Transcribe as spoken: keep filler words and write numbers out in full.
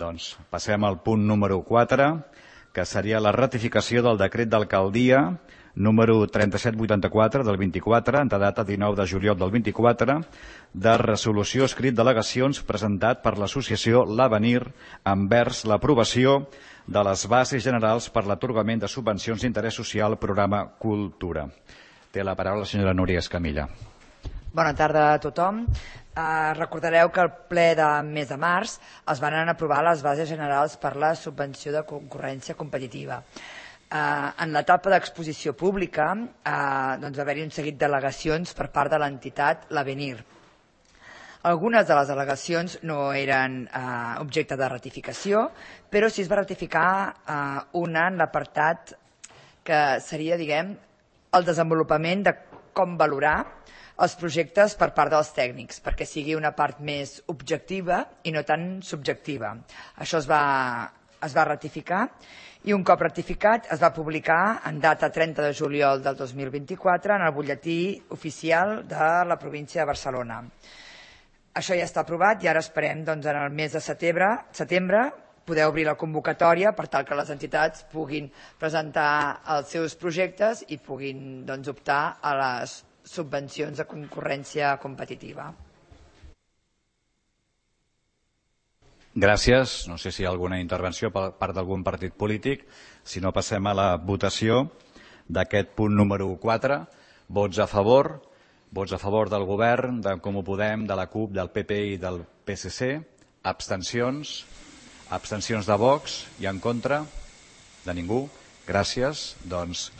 Doncs passem al punt número quatre, que seria la ratificació del decret d'alcaldia número trenta-set vuitanta-quatre del vint-i-quatre, en data dinou de juliol del vint-i-quatre, de resolució escrit d'al·legacions presentat per l'associació L'Avenir envers l'aprovació de les bases generals per l'atorgament de subvencions d'interès social programa Cultura. Té la paraula la senyora Núria Escamilla. Bona tarda a tothom. Eh, recordareu que al ple de mes de març es van aprovar les bases generals per la subvenció de concurrència competitiva. Eh, en l'etapa d'exposició pública eh, doncs va haver-hi un seguit d'al·legacions per part de l'entitat L'Avenir. Algunes de les al·legacions no eren eh, objecte de ratificació, però sí es va ratificar eh, una en l'apartat que seria, diguem, el desenvolupament de com valorar els projectes per part dels tècnics, perquè sigui una part més objectiva i no tan subjectiva. Això es va, es va ratificar i un cop ratificat es va publicar en data trenta de juliol del dos mil vint-i-quatre en el butlletí oficial de la província de Barcelona. Això ja està aprovat i ara esperem doncs, en el mes de setembre, setembre poder obrir la convocatòria per tal que les entitats puguin presentar els seus projectes i puguin doncs, optar a les subvencions de concurrència competitiva. Gràcies. No sé si hi ha alguna intervenció per part d'algun partit polític. Si no, passem a la votació d'aquest punt número quatre. Vots a favor. Vots a favor del govern, d'en Comú Podem, de la CUP, del P P i del P S C. Abstencions. Abstencions de Vox i en contra de ningú. Gràcies. Doncs